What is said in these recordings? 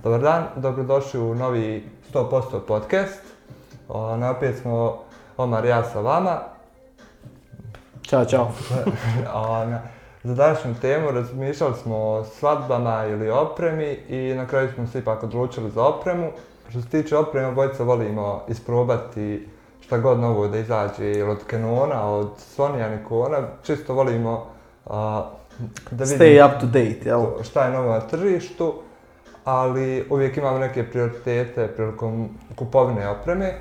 Dobar dan, dobrodošli u novi 100% podcast. Opet smo Omar i ja sa vama. Ćao, čao. Za današnju temu razmišljali smo o svadbama ili opremi i na kraju smo se ipak odlučili za opremu. Što se tiče opreme, obojica volimo isprobati šta god novo da izađe ili od Canona, od Sonyja, Nikona. Čisto volimo da vidimo Stay up to date, jel? šta je novo na tržištu, ali uvijek imamo neke prioritete prilikom kupovine opreme.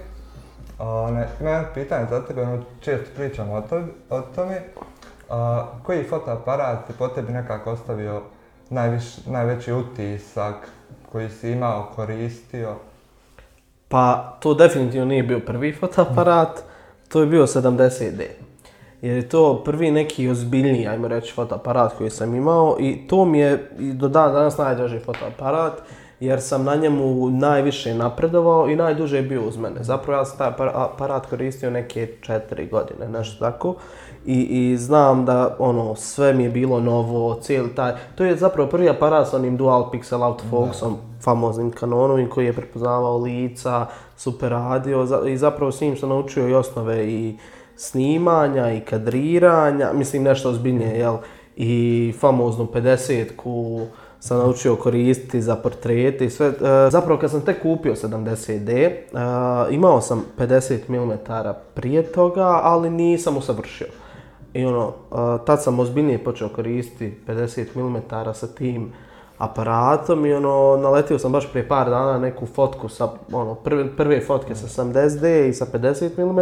Ima jedno pitanje za tebe, često pričamo o tome. Koji fotoaparat je po tebi nekako ostavio najveći utisak koji si imao, koristio? Pa to definitivno nije bio prvi fotoaparat, to je bio 70D. Jer je to prvi neki ozbiljniji, ajmo reći, fotoaparat koji sam imao i to mi je i do danas najdraži fotoaparat jer sam na njemu najviše napredovao i najduže je bio uz mene. Zapravo ja sam taj aparat koristio neke 4 godine, nešto tako. I znam da sve mi je bilo novo, cijeli taj. To je zapravo prvi aparat s onim dual pixel autofokusom, famoznim Canonovim koji je prepoznavao lica, super radio i zapravo s njim sam naučio i osnove i snimanja i kadriranja, mislim nešto ozbiljnije, jel? I famoznu 50-ku sam naučio koristiti za portrete i sve. Zapravo kad sam tek kupio 70D, imao sam 50 mm prije toga, ali nisam usavršio. I tad sam ozbiljnije počeo koristiti 50 mm sa tim aparatom i naletio sam baš prije par dana neku fotku sa prve fotke sa 70D i sa 50 mm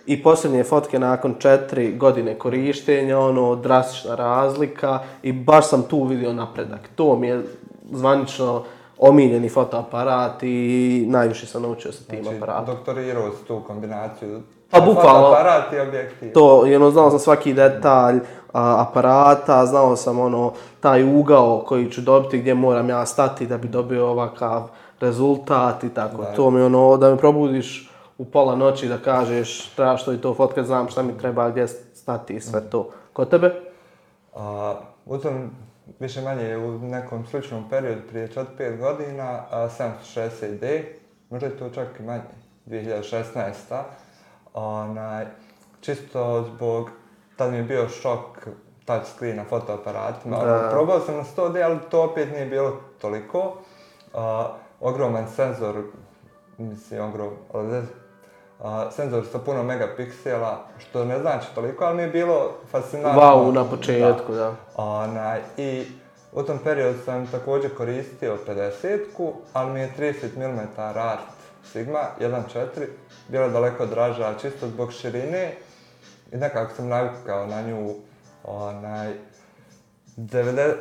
i posljednje fotke nakon 4 godine korištenja, drastična razlika i baš sam tu vidio napredak. To mi je zvanično omiljeni fotoaparat i najviše sam naučio sa tim aparatom. Doktorirao si tu kombinaciju fotoaparat i objektiv. To, znao sam svaki detalj aparata, znao sam taj ugao koji ću dobiti gdje moram ja stati da bi dobio ovakav rezultat i tako. Da. To mi da me probudiš u pola noći da kažeš trebaš to i to fotkat, znam šta mi treba, gdje stati i sve to. Kod tebe? U tom više manje u nekom sličnom periodu prije 4-5 godina 760D, možda je to čak i manje, 2016. Čisto zbog, tad mi je bio šok touchscreen na fotoaparatima. Probao sam na 100D, ali to opet nije bilo toliko. Ogroman senzor, senzor sa puno megapiksela, što ne znači toliko, ali mi je bilo fascinantno. Wow, na početku, da. I u tom periodu sam također koristio 50-ku, ali mi je 30 mm Art Sigma 1.4 bila daleko draža, čisto zbog širine i nekako sam navikao na nju.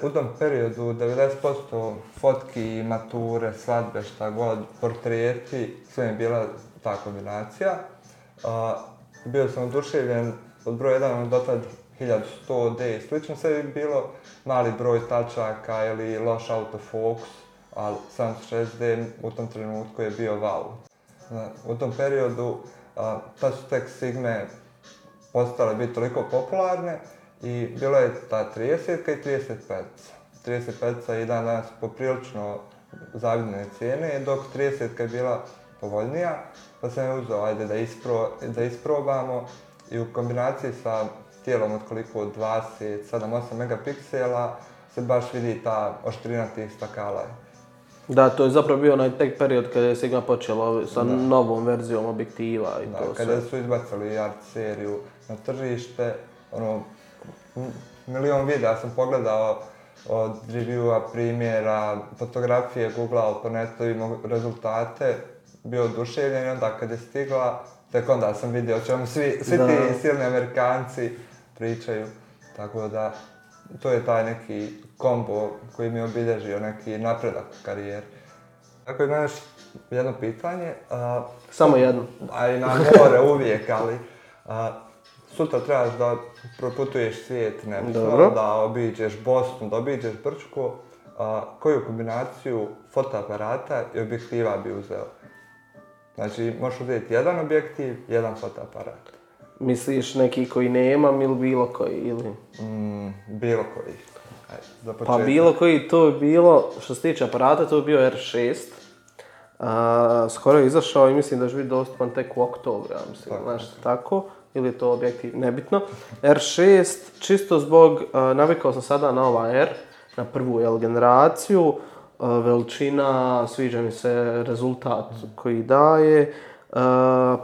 U tom periodu 90% fotki, mature, svadbe, šta god, portreti, sve mi je bila ta kombinacija. Bio sam oduševljen od broja 1 do tad 1100D i slično, sve je bilo mali broj tačaka ili loš autofokus, ali 760D u tom trenutku je bio wow. U tom periodu tad su tek Sigme postale biti toliko popularne i bilo je ta 30-ka i 35-ca. 35-ca je dan danas poprilično zavidne cijene, dok 30-ka je bila povoljnija, pa sam je uzeo da isprobamo i u kombinaciji sa tijelom od koliko 27-8 megapiksela se baš vidi ta oštrina tih stakala. Da, to je zapravo bio onaj tek period kada je Sigma počelo sa novom verzijom objektiva i to sve. Kada su izbacili Art seriju na tržište, milion videa sam pogledao od reviewa, primjera, fotografije, googlao po netu, imao rezultate, bio oduševljen i onda kad je stigla, tek onda sam vidio o čemu svi ti silni Amerikanci pričaju. Tako da, to je taj neki kombo koji mi je obilježio neki napredak u karijeri. Ako imaš jedno pitanje... Samo jedno. A i na more uvijek, ali... Sutra trebaš da proputuješ svijet, da obiđeš Bosnu, da obiđeš Brčko. Koju kombinaciju fotoaparata i objektiva bi uzeo? Znači, možeš uzeti jedan objektiv, jedan fotoaparat. Misliš neki koji nemam ili bilo koji? Ili? Bilo koji. za početak. Pa bilo koji to je bilo, što se tiče aparata, to je bio R6. Skoro je izašao i mislim da će biti dostupan tek u oktobru, ja mislim, nešto tako. Ili je to objektiv, nebitno. R6, čisto zbog, navikao sam sada na ova R, na prvu generaciju, veličina, sviđa mi se rezultat koji daje,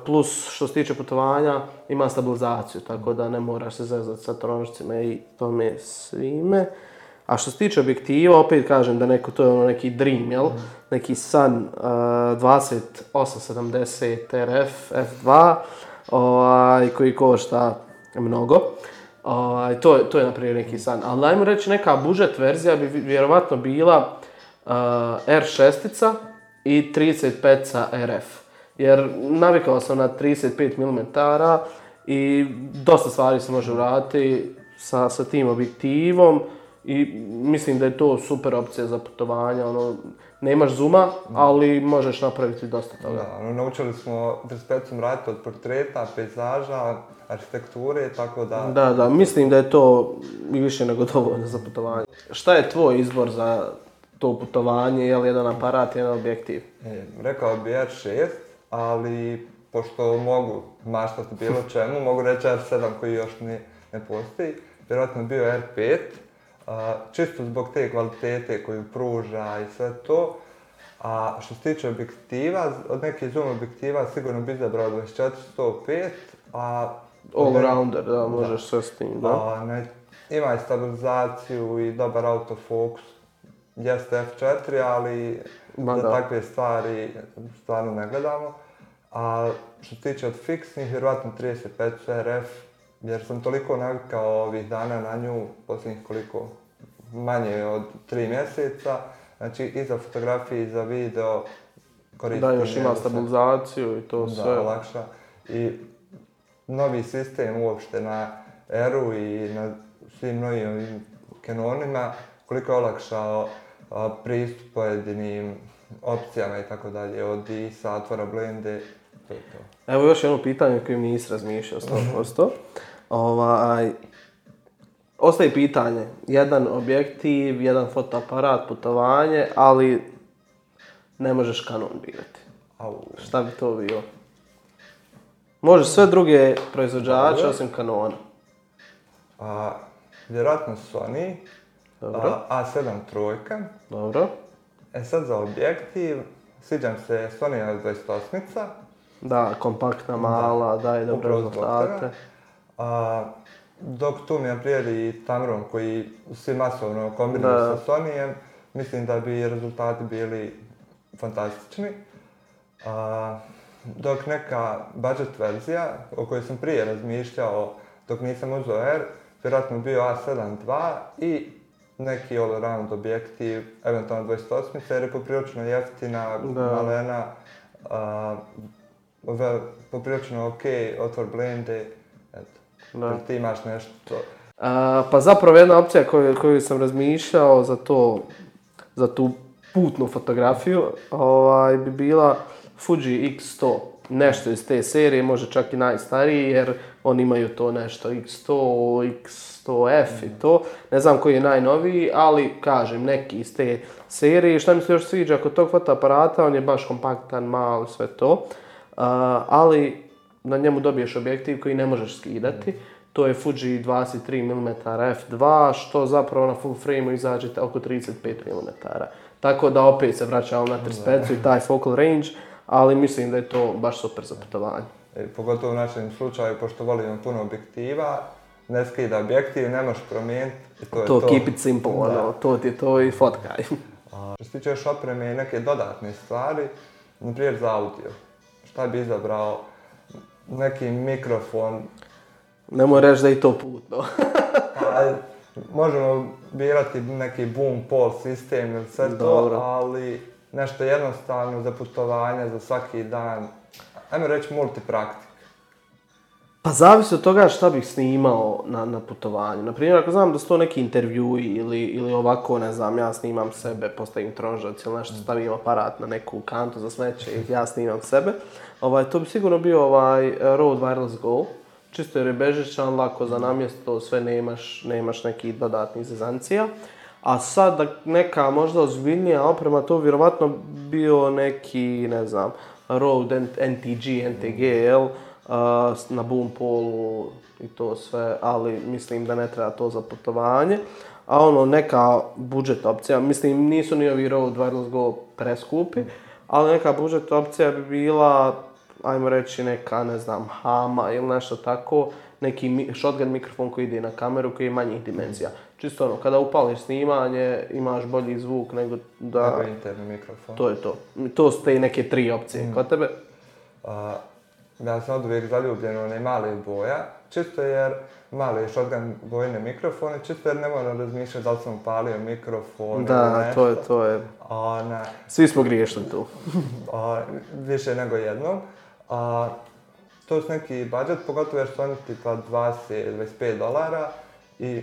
plus što se tiče putovanja ima stabilizaciju, tako da ne moraš se zezati sa tronožcima i tome svime. A što se tiče objektiva, opet kažem da to je ono neki dream, jel? Neki Sun 2870 RF f2, koji košta mnogo. To je naprimjer neki Sun. Ali ajmo reći neka budžet verzija bi vjerovatno bila R6 i 35 RF. Jer navikao sam na 35 mm i dosta stvari se može uraditi sa tim objektivom. I mislim da je to super opcija za putovanja, nemaš zooma, ali možeš napraviti dosta toga. Da, naučili smo 35 raditi od portreta, pejzaža, arhitekture, tako da... Da, mislim da je to i više nego dovoljno za putovanje. Šta je tvoj izbor za to putovanje, je li jedan aparat, jedan objektiv? Rekao bi R6, ali pošto mogu maštati bilo čemu, mogu reći R7 koji još ne postoji, vjerojatno bio R5. Čisto zbog te kvalitete koju pruža i sve to. A što se tiče objektiva, od nekih zoom objektiva sigurno bi izabrao 24-105, all-rounder, da, možeš sve s tim, da. Ima i stabilizaciju i dobar autofokus. Jeste F4, ali za takve stvari stvarno ne gledamo. A što se tiče od fiksnih, vjerojatno 35 RF, jer sam toliko navikao ovih dana na nju, posljednjih koliko, manje od 3 mjeseca. Znači i za fotografije i za video koristim. Da, još ima stabilizaciju i to sve. Da, olakša. I novi sistem uopšte na R-u i na svim novim Canonima, koliko je olakšao pristup pojedinim opcijama i tako dalje, od ISA, otvora blende, to je to. Evo još jedno pitanje koje mi nisi razmišljao 100%. Ostaje pitanje, jedan objektiv, jedan fotoaparat, putovanje, ali ne možeš Canon birati. Šta bi to bilo? Možeš sve druge proizvođače osim Canona. Vjerojatno Sony, A7 trojka. Dobro. Sad za objektiv, sviđam se Sonyja 28-ica. Da, kompaktna, mala, daje dobre rezultate. Dok tu mi naprijedi i Tamron koji svi masovno kombiniraju sa Sonyjem, mislim da bi rezultati bili fantastični. Dok neka budget verzija, o kojoj sam prije razmišljao dok nisam uzeo R, vjerojatno bio A7 II i neki all-around objektiv, eventualno 28-ica, jer je poprilično jeftina, malena, poprilično ok, otvor blende, eto, ti imaš nešto. Pa zapravo jedna opcija koju sam razmišljao za tu putnu fotografiju bi bila Fuji X100. Nešto iz te serije, može čak i najstariji, jer oni imaju to nešto X100, X100F i to. Ne znam koji je najnoviji, ali kažem, neki iz te serije. Šta mi se još sviđa kod tog fotoaparata, on je baš kompaktan, mal, sve to. Ali na njemu dobiješ objektiv koji ne možeš skidati. To je Fuji 23 mm f2, što zapravo na full frame-u izađe oko 35 mm. Tako da opet se vraćamo na 35 i taj focal range, ali mislim da je to baš super za putovanje. Pogotovo u našem slučaju, pošto volimo puno objektiva, ne skida objektiv, ne možeš promijeniti i to je to. Keep it simple, to ti je to i fotkaj. Što se tiče još opreme i neke dodatne stvari, naprijed za audio. Šta bi izabrao? Neki mikrofon. Nemoj reći da je to putno. Možemo birati neki boom pole sistem ili sve to, ali nešto jednostavno za putovanja, za svaki dan. Ajmo reći multipraktik. Pa zavisi od toga šta bih snimao na putovanju. Naprimjer, ako znam da su to neki intervjui ili ovako, ne znam, ja snimam sebe, postavim tronžac ili nešto, stavim aparat na neku kantu za smeće i ja snimam sebe. To bi sigurno bio Rode Wireless Go. čisto jer je bežičan, lako za namjesto, sve nemaš nekih dodatnih zezancija. A sad neka možda ozbiljnija oprema, to vjerovatno bio neki, ne znam, Rode NTG, NTG, na boom polu i to sve, ali mislim da ne treba to za putovanje. A ono, neka budžet opcija, mislim nisu ni ovi Rode Wireless Go preskupi, ali neka budžet opcija bi bila, ajmo reći neka, ne znam, Hama ili nešto tako, neki shotgun mikrofon koji ide na kameru koji je manjih dimenzija. Čisto ono, kada upališ snimanje, imaš bolji zvuk nego da... Nego interni mikrofon. To je to. To su te neke 3 opcije. Kod tebe? Ja sam od uvijek zaljubljen u one male boja, čisto jer male shotgun bojne mikrofone, čisto jer ne moram razmišljati da li sam upalio mikrofon da, ili nešto. to je. Svi smo griješili tu. Više nego jednom. To su neki budžet, pogotovo jer su oni tipa $20-25 i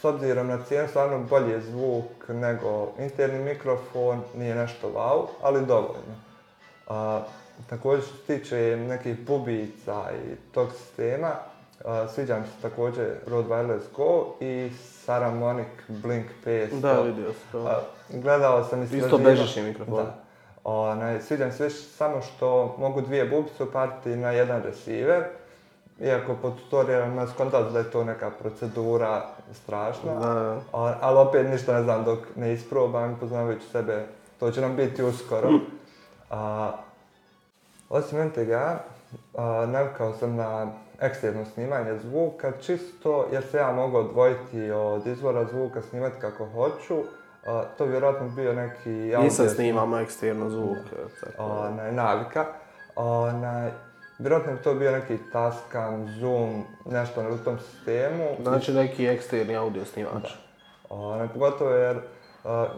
s obzirom na cijenu stvarno bolji je zvuk nego interni mikrofon, nije nešto wow, ali dovoljno. Također što se tiče nekih bubica i tog sistema, sviđa mi se također Rode Wireless Go i Saramonic Blink 500. Da, vidio sam to. Gledao sam isto bežični mikrofon. Sviđa mi se više samo što mogu 2 bubice upaliti na jedan receiver. Iako po tutorijalima skontali da je to neka procedura strašna, ali opet ništa ne znam dok ne isprobam, poznavajući sebe, to će nam biti uskoro. Osim NTG-a, navikao sam na eksterno snimanje zvuka, čisto jer se ja mogu odvojiti od izvora zvuka, snimati kako hoću. To bi vjerojatno bio neki... Nisam snimamo eksterno zvuk. Navika. Vjerojatno bi to bio neki Tascam, Zoom, nešto u tom sistemu. Znači neki eksterni audio snimač. Pogotovo jer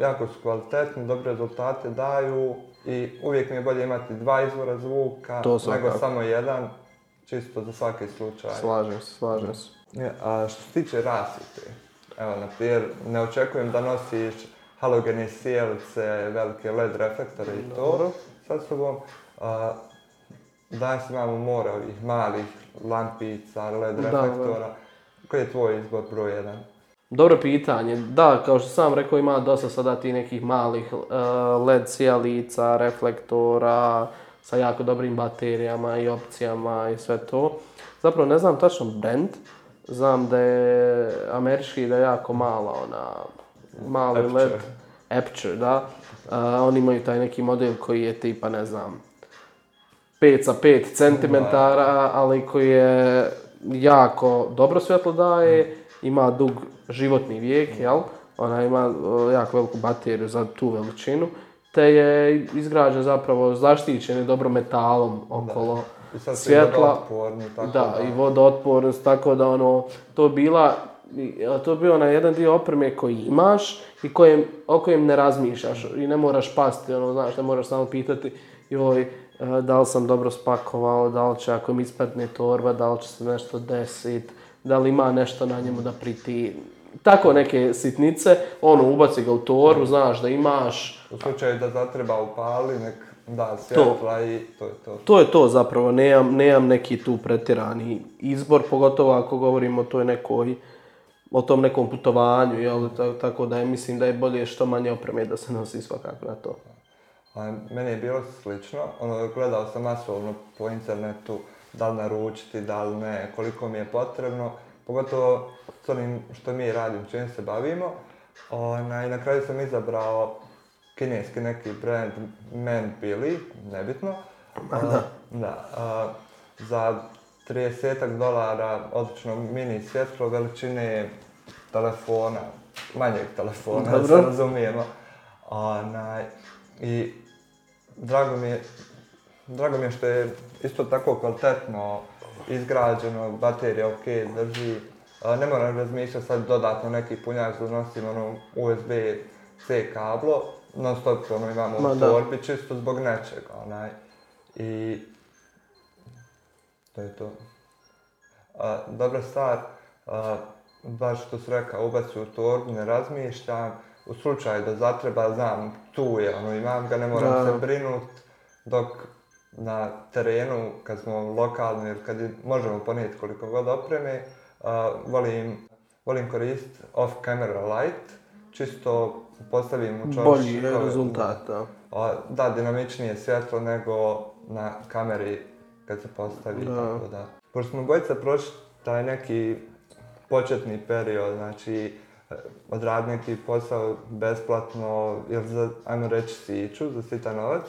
jako su kvalitetni, dobre rezultate daju i uvijek mi je bolje imati 2 izvora zvuka nego samo jedan, čisto za svaki slučaj. Slažem se. Što se tiče rasvjete, evo na primjer, ne očekujem da nosiš halogene sjelice, velike LED reflektore i to sa sobom. Danas imamo more ovih malih lampica, LED reflektora. Koji je tvoj izbor broj 1? Dobro pitanje. Da, kao što sam rekao, ima dosta sada ti nekih malih LED sjelica, reflektora sa jako dobrim baterijama i opcijama i sve to. Zapravo ne znam tačno brand. Znam da je američki, da je jako mala mali LED. Aperture, da. Oni imaju taj neki model koji je tipa, ne znam, 5 sa 5 cm, ali koji je jako dobro svjetlo daje, ima dug životni vijek, jel? Ona ima jako veliku bateriju za tu veličinu, te je izgrađen zapravo zaštićen i dobro metalom okolo svjetla. I vodootpornost, tako da to je bio na jedan dio opreme koji imaš i o kojem ne razmišljaš i ne moraš pasti, ne moraš samo pitati da li sam dobro spakovao, da li će ako mi ispadne torba, da li će se nešto desiti, da li ima nešto na njemu da priti. Tako neke sitnice, ubaci ga u torbu, znaš da imaš. U slučaju da zatreba upali, nek da svjetla i to je to. To je to zapravo, nemam neki tu pretjerani izbor, pogotovo ako govorimo o tom nekom putovanju, jel? Tako da mislim da je bolje što manje opreme da se nosi svakako na to. Meni je bilo slično, gledao sam masovno po internetu da li naručiti, da li ne, koliko mi je potrebno, pogotovo s onim što mi radimo, čim se bavimo. I na kraju sam izabrao kineski neki brand Manbili, nebitno. Za $30 odlično mini svjetlo veličine telefona, manjeg telefona, da se razumijemo. I drago mi je što je isto tako kvalitetno izgrađeno, baterija ok, drži. Ne moram razmišljati sad dodatno neki punjač da nosim USB-C kablo, non stop imamo u torbi čisto zbog nečega. I to je to. Dobra stvar, baš što si rekao, ubaci u torbu, ne razmišljam. U slučaju da zatreba, znam, tu je, imam ga, ne moram se brinut, dok na terenu, kad smo lokalni ili kad možemo ponijeti koliko god opreme, volim koristiti off-camera light, čisto postavim u čošku. Bolji je rezultat, da. Da, dinamičnije svjetlo nego na kameri kad se postavi, tako da. Pošto smo bojica prošli taj neki početni period, znači odraditi neki posao besplatno ili za, ajmo reći, siću, za sitan novac.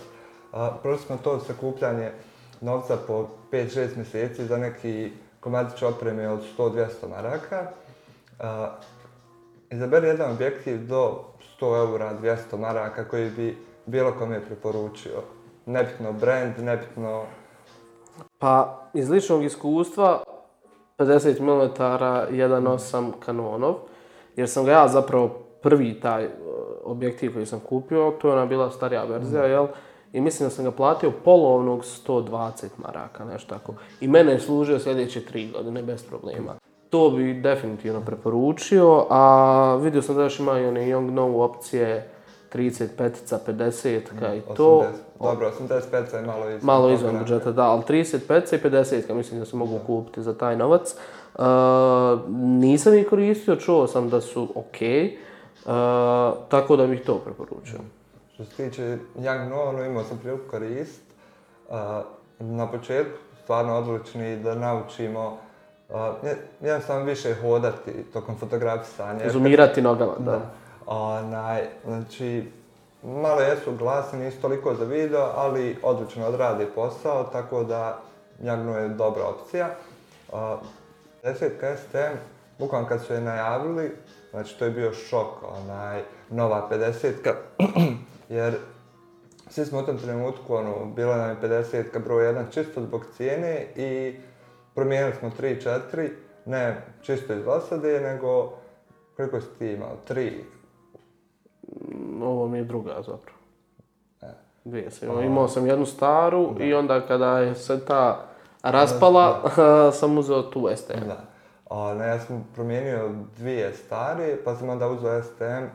Prošli smo to sakupljanje novca po 5-6 mjeseci za neki komadić opreme od 100-200 maraka. Izaberi jedan objektiv do 100 eura, 200 maraka koji bi bilo kome preporučio. Nebitno brand, nebitno... Pa, iz ličnog iskustva, 50 mm 1.8 Canonov, jer sam ga ja zapravo prvi taj objektiv koji sam kupio, to je ona bila starija verzija, jel? I mislim da sam ga platio polovnog 120 maraka, nešto tako. I mene je služio sljedeće 3 godine, bez problema. To bi definitivno preporučio, a vidio sam da još ima i one Yongnuo opcije 35-ca, 50-ka i to. Dobro, 85-ca je malo izvan budžeta, da, ali 35-ca i 50-ka mislim da se mogu kupiti za taj novac. Nisam ih koristio, čuo sam da su ok, tako da bih to preporučio. Što se tiče Yongnuo, imao sam priliku koristiti. Na početku stvarno odlični da naučimo jednostavno više hodati tokom fotografisanja. Zoomirati nogama, da. Znači, malo jesu glasni, nisu toliko za video, ali odlično odrade posao, tako da Yongnuo je dobra opcija. 50 STM, bukvalno kad su je najavili, znači to je bio šok, nova 50-ka, jer svi smo u tom trenutku, bila nam je 50-ka broj 1 čisto zbog cijene i promijenili smo 3-4, ne čisto iz dosade, nego koliko si ti imao? 3? Ovo mi je druga zapravo. Dvije sam imao sam jednu staru i onda kada je se ta raspala, sam uzeo tu STM. Ja sam promijenio 2 stare, pa sam onda uzeo STM,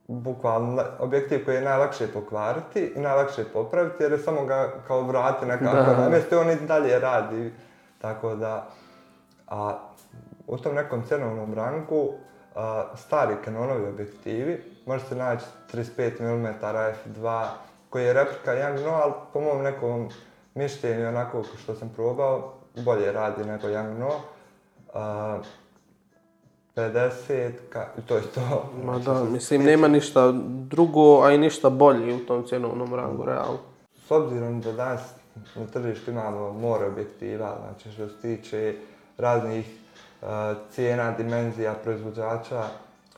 bukvalno objektiv koji je najlakše pokvariti i najlakše popraviti, jer je samo ga kao vrati nekako na mjesto i on i dalje radi. Tako da, u tom nekom cenovnom rangu, stari Canonovi objektivi, možete naći 35 mm f2 koji je replika Yongnuo, ali po mom nekom mišljenju, onako što sam probao, bolje radi nego Yongnuo. 50, i to je to. Ma da, mislim, nema ništa drugo, a i ništa bolje u tom cjenovnom rangu, realno. S obzirom da danas na tržištu imamo more objektiva, znači što se tiče raznih cijena, dimenzija, proizvođača,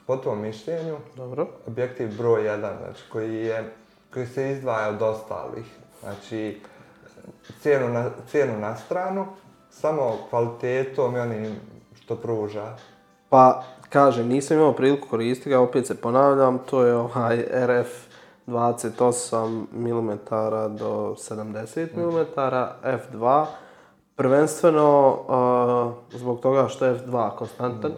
po tom mišljenju, dobro, objektiv broj 1, znači koji se izdvaja od ostalih, znači cijenu na stranu, samo kvalitetom i onim što pruža. Pa, kažem, nisam imao priliku koristiti ga, opet se ponavljam, to je RF 28 mm do 70 mm, f2, prvenstveno zbog toga što je f2 konstantan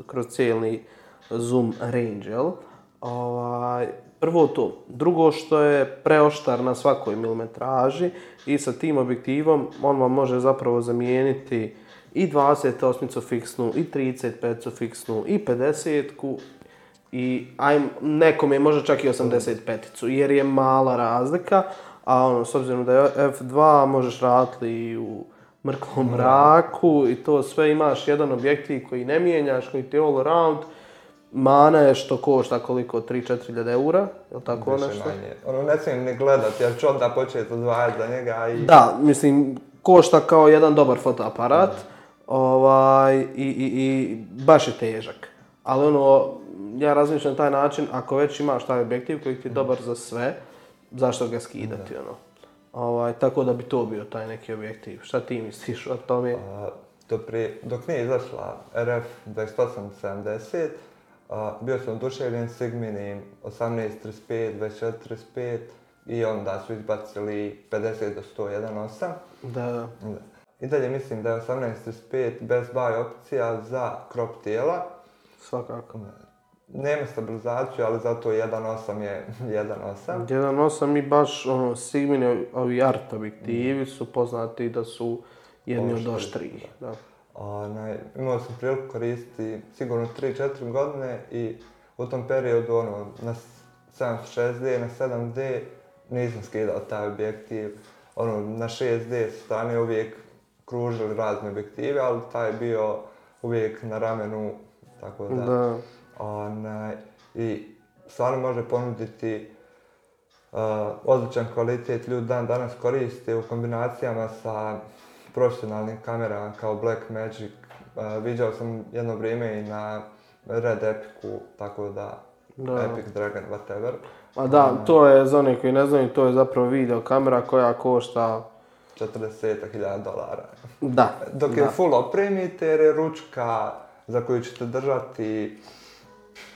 kroz cijeli zoom range, jel? Prvo to. Drugo što je preoštar na svakoj milimetraži i sa tim objektivom on vam može zapravo zamijeniti i 28-icu fiksnu, i 35-icu fiksnu, i 50-ku, i nekom je možda čak i 85-icu, jer je mala razlika, a s obzirom da je f2 možeš raditi i u mrklom mraku i to sve imaš jedan objektiv koji ne mijenjaš, koji ti je all around. Mana je što košta koliko, 3-4 eura, je li tako nešto? Ne smijem ni gledati, jer ću onda početi odvajati za njega i... Da, mislim, košta kao jedan dobar fotoaparat i baš je težak. Ali ja razmišljam na taj način, ako već imaš taj objektiv koji ti je dobar za sve, zašto ga skidati, tako da bi to bio taj neki objektiv. Šta ti misliš o tome? Dok nije izašla RF 2870, bio sam oduševljen Sigminim 1835, 2435 i onda su izbacili 50 do 101.8. Da. I dalje mislim da je 1835 best buy opcija za crop tijela. Svakako. nema stabilizaciju, ali zato 1.8 je 1.8. 1.8 i baš Sigmini ovi art objektivi su poznati da su jedni od oštriji. Da. Imao sam priliku koristiti sigurno 3-4 godine i u tom periodu na 760D, na 7D nisam skidao taj objektiv. Na 6D strane uvijek kružili razne objektive, ali taj je bio uvijek na ramenu, tako da. I stvarno može ponuditi odličan kvalitet. Ljudi dan danas koriste u kombinacijama sa profesionalnim kamerama kao Blackmagic. Viđao sam jedno vrijeme i na Red Epicu, tako da Epic Dragon, whatever. A da, to je za one koji ne znaju, to je zapravo video kamera koja košta $40.000. Da. Dok je full opremite jer je ručka za koju ćete držati,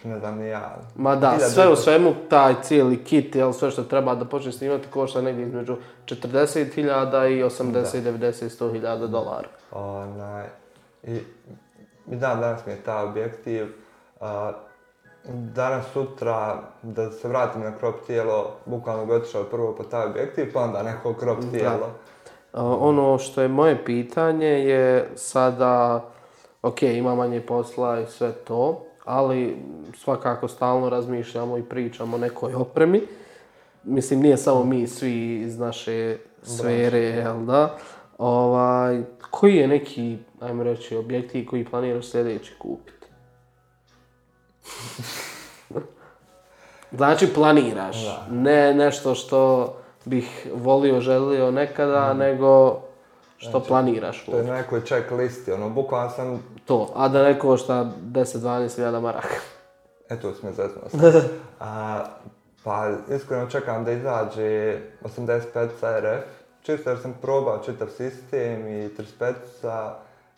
ne znam ni ja. Ma da, sve u svemu taj cijeli kit, sve što treba da počne snimati košta negdje između 40.000 i 80, 90, $100.000. I danas mi je taj objektiv. Danas, sutra, da se vratim na crop tijelo, bukvalno bi otišao prvo po taj objektiv, pa onda neko crop tijelo. Ono što je moje pitanje je sada, ok, ima manje posla i sve to, ali svakako stalno razmišljamo i pričamo o nekoj opremi. Mislim, nije samo mi svi iz naše sfere, jel da? Koji je neki, ajmo reći, objektiv koji planiraš sljedeći kupiti? Znači planiraš, ne nešto što bih volio, želio nekada, nego što planiraš. To je na nekoj check listi, bukvalno sam... To, a da ne košta 10-12.000 maraka. Eto, smo zezno. Pa iskreno čekam da izađe 85 RF, čisto jer sam probao čitav sistem i 35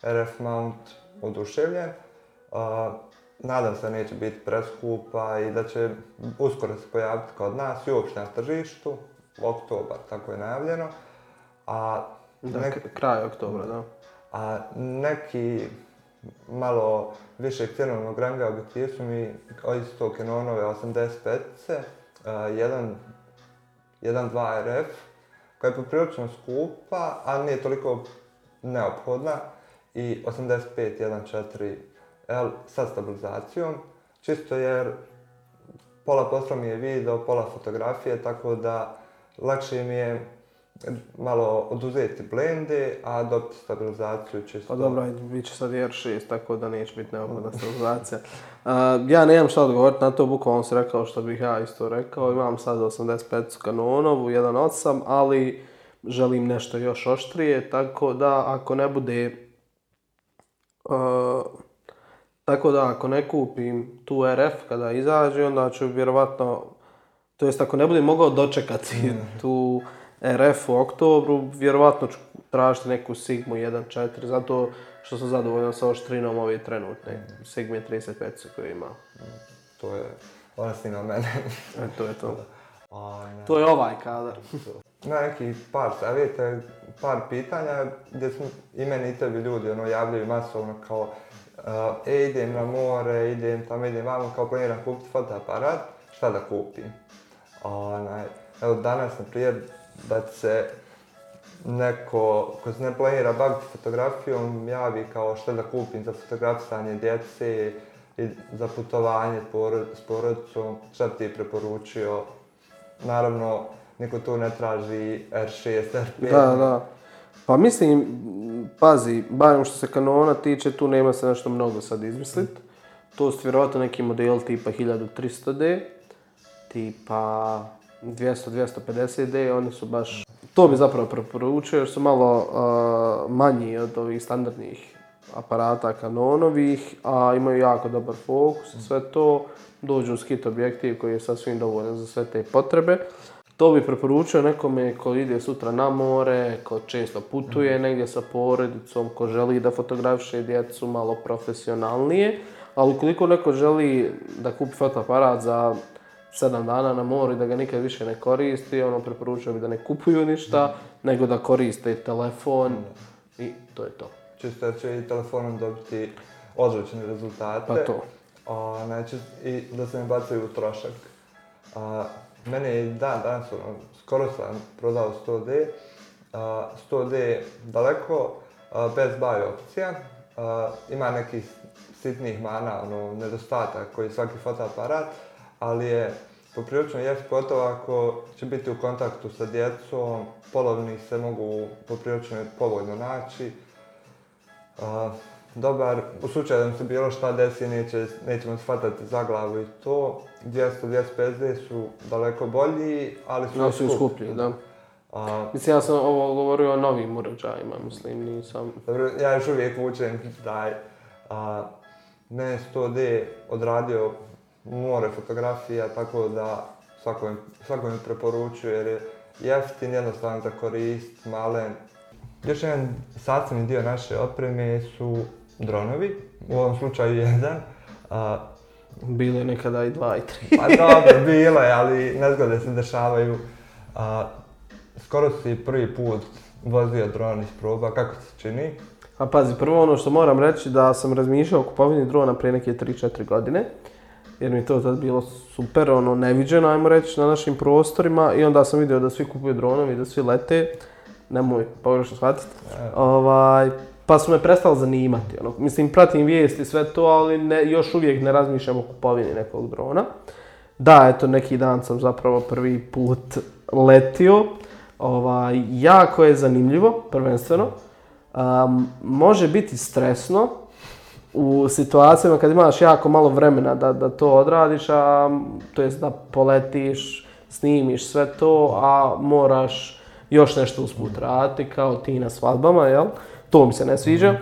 RF mount oduševljen. Nadam se da neće biti preskupa i da će uskoro se pojaviti kod nas i uopšte na tržištu, oktobar, tako je najavljeno. Kraj oktobra, da. A neki malo više cenovnog ranga objektiv su mi isto Canonove 85-ce, 1.2 RF, koja je poprilično skupa, a nije toliko neophodna, i 85 1.4 L sa stabilizacijom, čisto jer pola posla mi je video, pola fotografije, tako da lakše mi je malo oduzeti blende, a dobiti stabilizaciju čisto. Pa dobro, bit će sad R6, tako da neće biti neophodna stabilizacija. Ja nemam šta odgovoriti na to, bukvalno si rekao što bih ja isto rekao. Imam sad 85 Canonovu, 1.8, ali želim nešto još oštrije, tako da ako ne bude... Tako da ako ne kupim tu RF kada izađe, onda ću vjerovatno, to jest ako ne budem mogao dočekati tu RF u oktobru, vjerovatno ću tražiti neku Sigmu 1.4, zato što sam zadovoljan sa oštrinom ove trenutne Sigme 35 koju ima. To je, ona snima mene. To je to. To je ovaj kadar. Ima neki par savjeta, par pitanja gdje smo i meni i tebi ljudi javljaju masovno kao idem na more, idem vamo, kao planiram kupiti fotoaparat, šta da kupim? Evo danas, na primjer, da se neko ko se ne planira baviti fotografijom javi kao šta da kupim za fotografisanje djece i za putovanje s porodicom, šta bi ti preporučio? Naravno, niko tu ne traži R6, R5. Da. Pa mislim, pazi, barem što se Canona tiče, tu nema se nešto mnogo sad izmisliti. To su vjerojatno neki model tipa 1300D, tipa 200-250D, oni su baš... To bi zapravo preporučio jer su malo manji od ovih standardnih aparata Canonovih, a imaju jako dobar fokus i sve to. Dođu uz kit objektiv koji je sasvim dovoljan za sve te potrebe. To bi preporučio nekome ko ide sutra na more, ko često putuje negdje sa porodicom, ko želi da fotografiše djecu malo profesionalnije. Ali ukoliko neko želi da kupi fotoaparat za 7 dana na moru i da ga nikad više ne koristi, preporučio bi da ne kupuju ništa, nego da koriste telefon i to je to. Čisto da će i telefonom dobiti odlične rezultate. Pa to. i da se ne bacaju u trošak. Meni je danas, skoro sam prodao 100D, 100D daleko, bez buy opcija, ima nekih sitnih mana, nedostatak koji svaki fotoaparat, ali je poprilično jeftin, pogotovo ako će biti u kontaktu sa djecom, polovni se mogu poprilično povoljno naći. Dobar, u slučaju da mi se bilo šta desi, nećemo se hvatati za glavu i to. 200-250D su daleko bolji, ali su skuplji, da. Mislim, ja sam ovo govorio o novim uređajima, mislim, nisam... Dobro, ja još uvijek vučem taj. Mene 100D odradio more fotografija, tako da svakome preporučuju jer je jeftin, jednostavan za korist, malen. Još jedan sastavni dio naše opreme su dronovi, u ovom slučaju jedan. Bilo je nekada i 2 i 3. Pa dobro, bilo je, ali nezgode se dešavaju. Skoro si prvi put vozio dron iz proba, kako se čini? A pazi, prvo ono što moram reći da sam razmišljao o kupovini drona prije neke 3-4 godine. Jer mi to tad bilo super, neviđeno, ajmo reći, na našim prostorima. I onda sam vidio da svi kupuju dronovi, da svi lete. Nemoj pogrešno shvatiti. Pa su me prestali zanimati. Mislim, pratim vijesti, sve to, ali još uvijek ne razmišljam o kupovini nekog drona. Da, eto, neki dan sam zapravo prvi put letio. Jako je zanimljivo, prvenstveno. Može biti stresno u situacijama kad imaš jako malo vremena da to odradiš, to jest da poletiš, snimiš sve to, a moraš još nešto usput raditi, kao ti na svadbama, jel? To mi se ne sviđa.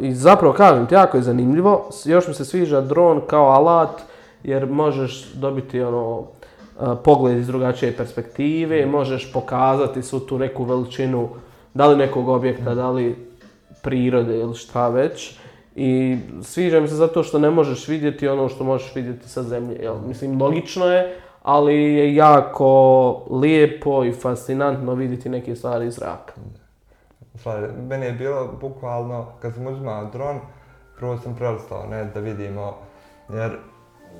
I zapravo kažem ti, jako je zanimljivo. Još mi se sviđa dron kao alat, jer možeš dobiti pogled iz drugačije perspektive, možeš pokazati svu tu neku veličinu, da li nekog objekta, da li prirode ili šta već. I sviđa mi se zato što ne možeš vidjeti ono što možeš vidjeti sa zemlje. Jel? Mislim, logično je, ali je jako lijepo i fascinantno vidjeti neke stvari iz zraka. Meni je bilo bukvalno, kad sam uzimao dron, prvo sam prelistao da vidimo, jer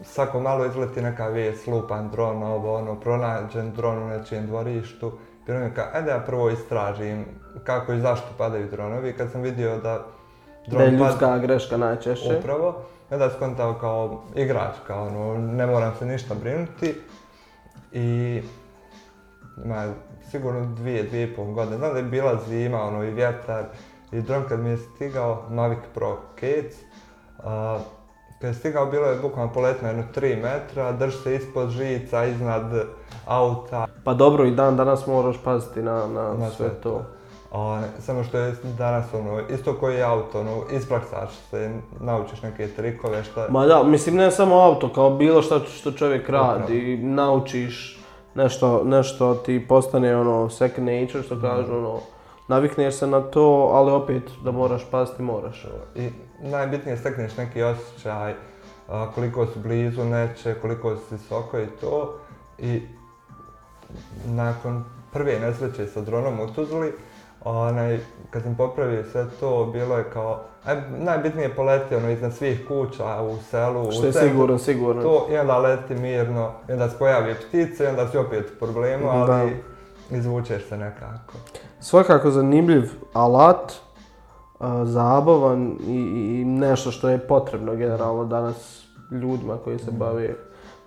svako malo izleti neka vijest, lupan dron, pronađen dron u nečijem dvorištu. Bilo mi je ajde ja prvo istražim kako i zašto padaju dronovi. Kad sam vidio da dron da je ljudska greška najčešće. Upravo. Onda sam skontao kao igračka, ne moram se ništa brinuti. I ima sigurno 2,5 godine. Znam da je bila zima, i vjetar. I dron kad mi je stigao, Mavic Pro Cats, kad je stigao bilo je bukvalno poletno 3 metra, drži se ispod žica, iznad auta. Pa dobro, i dan danas moraš paziti na sve to. Samo što je danas isto koji auto, ispraksaš se, naučiš neke trikove šta... Ma da, mislim ne samo auto, kao bilo što čovjek radi, naučiš nešto ti postane second nature, što kažu, navikneš se na to, ali opet da moraš paziti, moraš. I najbitnije stekneš neki osjećaj, koliko si blizu neće, koliko si visoko i to. I nakon prve nesreće sa dronom u Tuzli, kad sam popravio sve to, bilo je kao, najbitnije poleti iznad svih kuća u selu, što je sigurno. To, i onda leti mirno, i onda se pojavi ptice, i onda si opet u problemu, ali izvučeš se nekako. Svakako zanimljiv alat, zabavan i nešto što je potrebno generalno danas ljudima koji se bave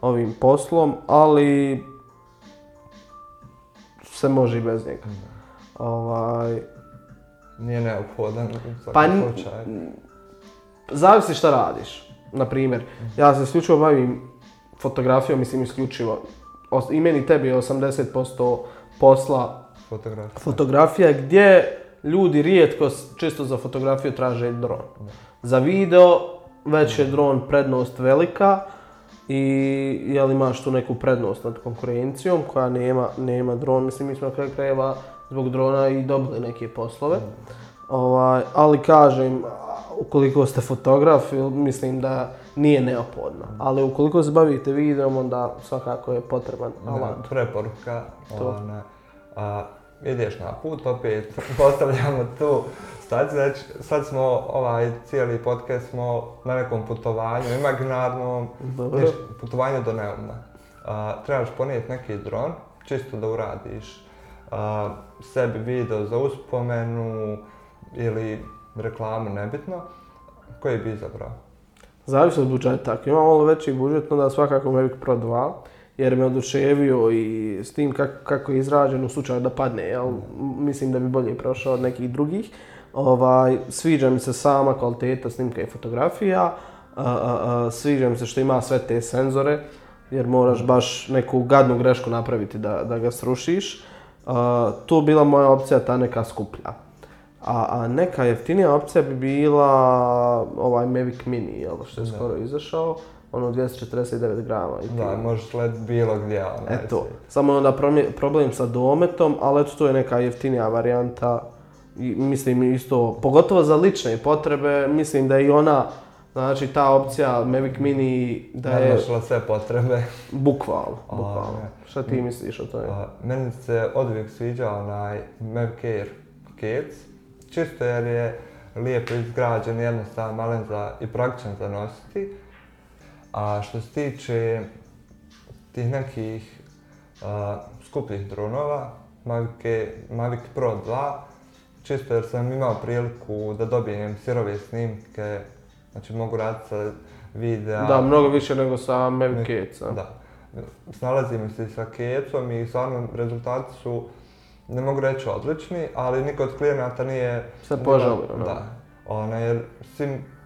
ovim poslom, ali se može i bez njega. Nije neophodan u svakom slučaju. Zavisi šta radiš. Naprimjer, ja se isključivo bavim fotografijom, mislim isključivo. I meni tebi je 80% posla fotografija, gdje ljudi rijetko čisto za fotografiju traže dron. Za video već je dron prednost velika i jel imaš tu neku prednost nad konkurencijom koja nema dron. Mislim, mi smo na kraju krajeva zbog drona i dobili neke poslove. Ali kažem, ukoliko ste fotograf, mislim da nije neophodno. Ali ukoliko se bavite videom, onda svakako je potreban alat. Preporuka. ideš na put, opet postavljamo tu stanicu, znači sad smo cijeli podcast smo na nekom putovanju imaginarnom, putovanju do Neuma. Trebaš ponijeti neki dron, čisto da uradiš sebi video za uspomenu ili reklamu, nebitno. Koji bi izabrao? Zavisi od budžeta. Ako imam malo veći budžet, onda svakako Mavic Pro 2, jer me oduševio i s tim kako je izrađen u slučaju da padne, jel? Mislim da bi bolje prošao od nekih drugih. Sviđa mi se sama kvaliteta snimka i fotografija, sviđa mi se što ima sve te senzore, jer moraš baš neku gadnu grešku napraviti da ga srušiš. Tu bila moja opcija ta neka skuplja. A neka jeftinija opcija bi bila ovaj Mavic Mini, jel, što je skoro izašao, ono 249 grama. Da, možeš letiti bilo gdje. Eto, samo onda problem sa dometom, ali eto, to je neka jeftinija varijanta. I mislim isto, pogotovo za lične potrebe, mislim da je i ona, znači ta opcija Mavic Mini da je... Nadmašila sve potrebe. Bukvalno. Šta ti misliš o tome? Meni se oduvijek sviđa onaj Mavic Air Case, čisto jer je lijepo izgrađen, jednostavan, malen i praktičan za nositi. A što se tiče tih nekih skupljih dronova, Mavic Pro 2, čisto jer sam imao priliku da dobijem sirove snimke, znači mogu raditi sa videa. Da, mnogo više nego sa Mavic Caseom. Da. Snalazim se sa Caseom i stvarno rezultati su, ne mogu reći odlični, ali niko od klijenata nije... Se požalio, da. Jer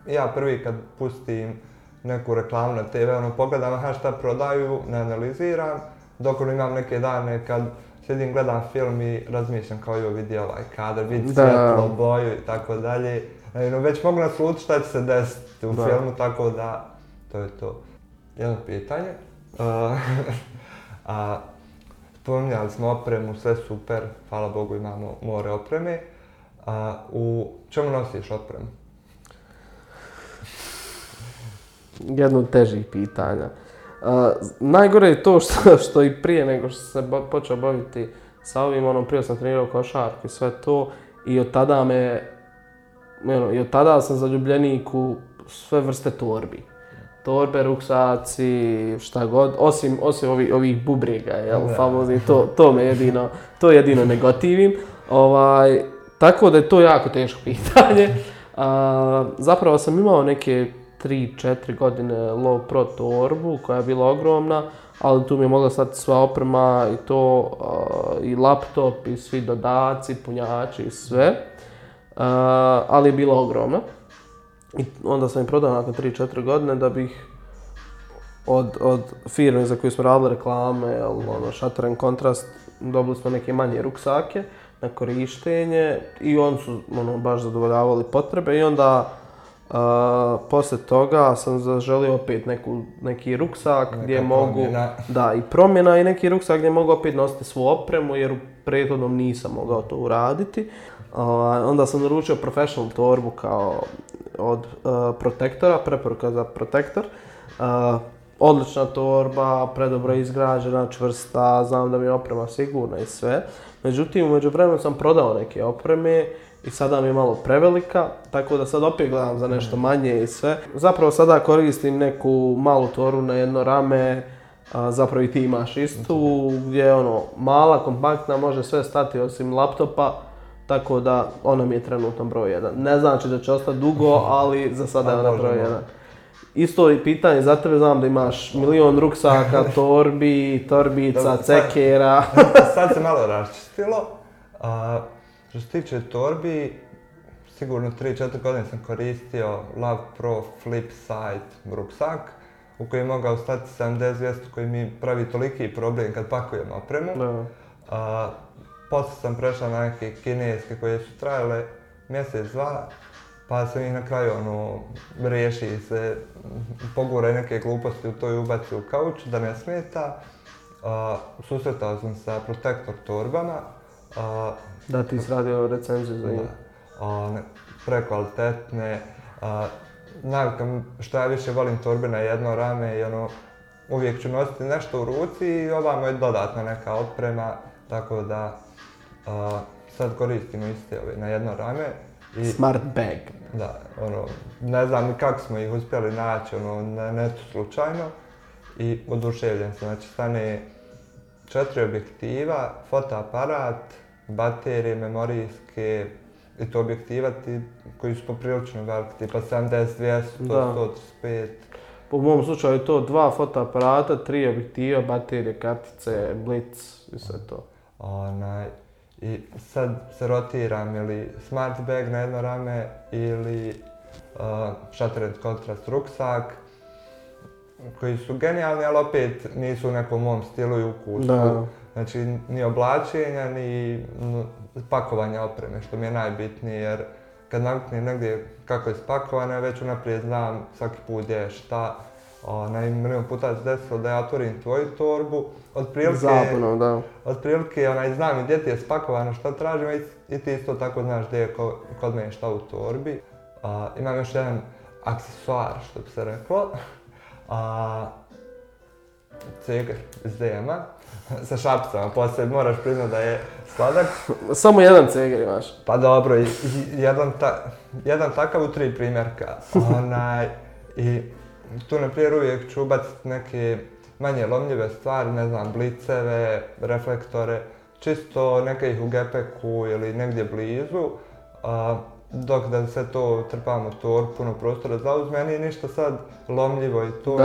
ja prvi kad pustim neku reklamu na TV, pogledam šta prodaju, ne analiziram, dok imam neke dane kad sjedim, gledam film i razmišljam kao joj vidi ovaj kadar, vidi svjetlo, boju i tako dalje. Već mogu naslutiti šta će se desiti u filmu, tako da to je to. Jedno pitanje. Spominjali smo opremu, sve super, hvala Bogu imamo more opreme. U čemu nosiš opremu? Jedno od težih pitanja. Najgore je to što i prije nego što se počeo baviti sa ovim, prije sam trenirao košarku i sve to i od tada sam zaljubljenik u sve vrste torbi. Torbe, ruksaci, šta god, osim ovih bubrega, famozni, to jedino ne gotivim. Tako da je to jako teško pitanje. Zapravo sam imao neke 3-4 godine Low Pro torbu koja je bila ogromna, ali tu mi je mogla stati sva oprema i to, i laptop i svi dodaci, punjači i sve. Ali je bila ogromna. I onda sam je prodao nakon 3-4 godine da bih od firme za koju smo radili reklame, Shutter and Contrast, dobili smo neke manje ruksake na korištenje i oni su baš zadovoljavali potrebe i onda poslije toga sam zaželio opet neki ruksak gdje mogu, da, i promjena i neki ruksak gdje mogu opet nositi svu opremu jer u prethodnom nisam mogao to uraditi. Onda sam naručio Professional torbu kao od Protektora, preporuka za Protektor. Odlična torba, predobro izgrađena, čvrsta, znam da mi je oprema sigurna i sve. Međutim, u međuvremenu sam prodao neke opreme i sada mi je malo prevelika, tako da sad opet gledam za nešto manje i sve. Zapravo sada koristim neku malu torbu na jedno rame, zapravo i ti imaš istu, gdje je mala, kompaktna, može sve stati osim laptopa. Tako da ona mi je trenutno broj 1. Ne znači da će ostati dugo, ali za sada je ona broj 1. Isto i pitanje za tebe, znam da imaš milion ruksaka, torbi, torbica, cekera. Sad se malo raščistilo. Što se tiče torbi, sigurno 3-4 godine sam koristio Love Pro Flip Side ruksak u koji je mogao stati 70-200 koji mi pravi toliki problem kad pakujem opremu. Poslije sam prešao na neke kineske koje su trajale mjesec, dva, pa sam ih na kraju riješi se, poguraj neke gluposti u to i ubaci u kauč da ne smeta. Susretao sam sa Protektor torbama. Da, ti si radio recenziju za njih. Prekvalitetne. Što ja više volim torbe na jedno rame i uvijek ću nositi nešto u ruci i ovamo je dodatna neka oprema, tako da Sad koristimo iste ove na jedno rame. Smart bag. Da, ne znam ni kako smo ih uspjeli naći, na netu slučajno. I oduševljen sam, znači stane 4 objektiva, fotoaparat, baterije, memorijske, i to objektiva koji su poprilično veliki, tipa 70, 200, 135. Po mom slučaju je to 2 fotoaparata, 3 objektiva, baterije, kartice, blic i sve to. I sad se rotiram ili smart bag na jedno rame ili shutter and contrast ruksak, koji su genijalni, ali opet nisu u nekom mom stilu i ukusu. Da. Znači, ni oblačenja, ni pakovanja opreme, što mi je najbitnije, jer kad naviknem negdje kako je spakovano, već unaprijed znam svaki put gdje je šta. Milion puta se desilo da ja otvorim tvoju torbu, Zapunom, da. Otprilike znam gdje ti je spakovano, šta tražim i ti isto tako znaš gdje je kod mene šta u torbi. Imam još jedan aksesuar, što bi se reklo. Ceger iz DM-a, sa šapcama, poslije moraš priznat da je sladak. Samo jedan ceger imaš. Pa dobro, jedan takav u 3 primjerka. I tu na primjer uvijek ću ubaciti neke manje lomljive stvari, ne znam, bliceve, reflektore, čisto neke ih u gepeku ili negdje blizu, dok da sve to trpam u torbu, puno prostora zauzme, nije ništa sad lomljivo i to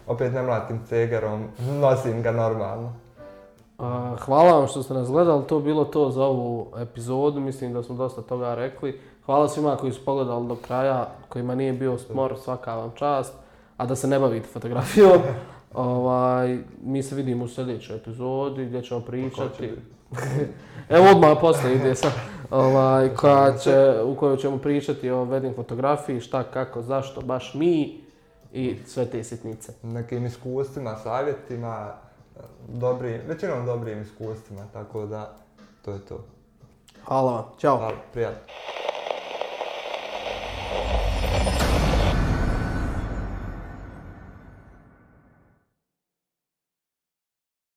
opet ne mlatim cegerom, nosim ga normalno. Hvala vam što ste nas gledali, to je bilo to za ovu epizodu, mislim da smo dosta toga rekli. Hvala svima koji su pogledali do kraja, kojima nije bio smor, svaka vam čast, a da se ne bavite fotografijom. Mi se vidimo u sljedećoj epizodi gdje ćemo pričati. Evo odmah poslije ide sad. U kojoj ćemo pričati o wedding fotografiji, šta, kako, zašto, baš mi i sve te sitnice. Nekim iskustvima, savjetima, većinom dobrim iskustvima, tako da to je to. Hvala vam, ćao. Hvala, prijatno.